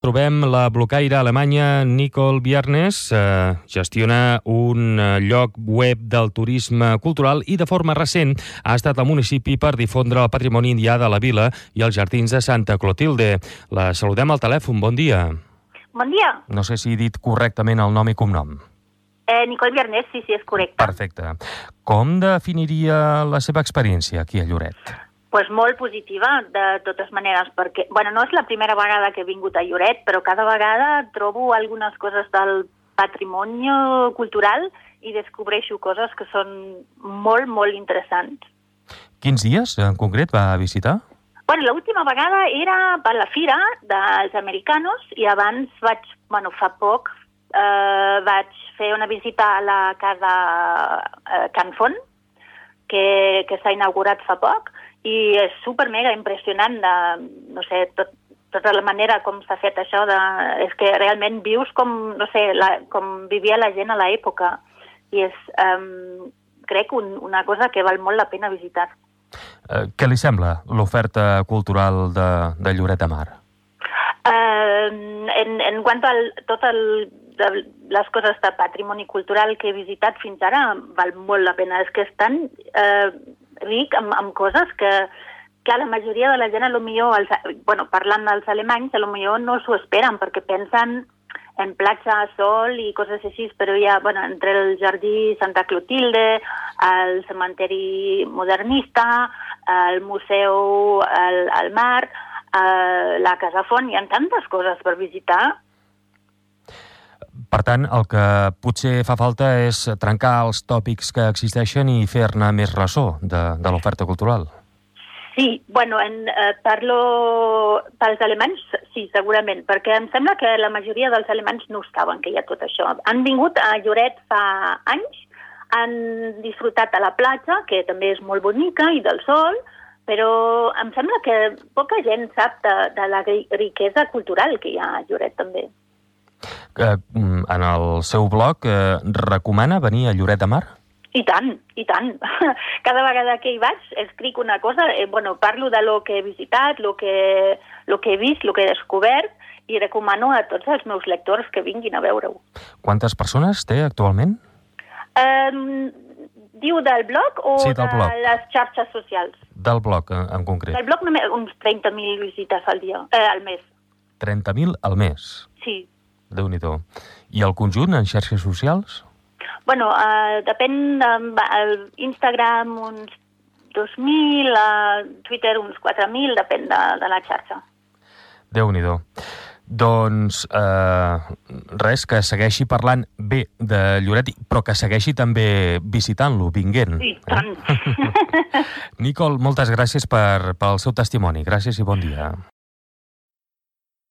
Trobem la blocaire alemanya Nicole Bjernes, gestiona un lloc web del turisme cultural i de forma recent ha estat al municipi per difondre el patrimoni indià de la vila i els jardins de Santa Clotilde. La saludem al telèfon, bon dia. Bon dia. No sé si he dit correctament el nom i cognom. Nicole Bjernes, sí, és correcte. Perfecte. Com definiria la seva experiència aquí a Lloret? Pues molt positiva, de totes maneres, perquè, no és la primera vegada que he vingut a Lloret, però cada vegada trobo algunes coses del patrimoni cultural i descobreixo coses que són molt, molt interessants. Quins dies en concret va visitar? L'última vegada era per la fira dels americanos i abans fa poc, vaig fer una visita a la casa Can Font, que s'ha inaugurat fa poc, i és super mega impressionant tota la manera com s'ha fet això, és que realment vius com vivia la gent a l'època, i és, crec, una cosa que val molt la pena visitar. Què li sembla l'oferta cultural de Lloret de Mar? En quant a totes les coses de patrimoni cultural que he visitat fins ara, val molt la pena. És que és tan ric amb coses que a la majoria de la gent, parlant dels alemanys, potser no s'ho esperen, perquè pensen en platja, sol i coses així, però hi ha, entre el jardí Santa Clotilde, el cementeri modernista, el museu al mar, la Casa Font, hi ha tantes coses per visitar. Per tant, el que potser fa falta és trencar els tòpics que existeixen i fer-ne més ressò de l'oferta cultural. Sí, parlo pels alemanys, sí, segurament, perquè em sembla que la majoria dels alemanys no saben que hi ha tot això. Han vingut a Lloret fa anys, han disfrutat a la platja, que també és molt bonica, i del sol, però em sembla que poca gent sap de la riquesa cultural que hi ha a Lloret també. En el seu blog recomana venir a Lloret de Mar? I tant, i tant. Cada vegada que hi vaig escric una cosa, parlo de lo que he visitat, lo que he vist, lo que he descobert, i recomano a tots els meus lectors que vinguin a veure-ho. Quantes persones té actualment? Diu del blog o sí, del blog. De les xarxes socials? Del blog, en concret. Del blog només uns 30.000 visites al mes. 30.000 al mes? Sí. Déu-n'hi-do. I el conjunt en xarxes socials? Depèn, Instagram uns 2.000, Twitter uns 4.000, depèn de la xarxa. Déu-n'hi-do. Doncs res, que segueixi parlant bé de Lloret, però que segueixi també visitant-lo, vinguent. Sí, tant. Nicole, moltes gràcies pel seu testimoni. Gràcies i bon dia.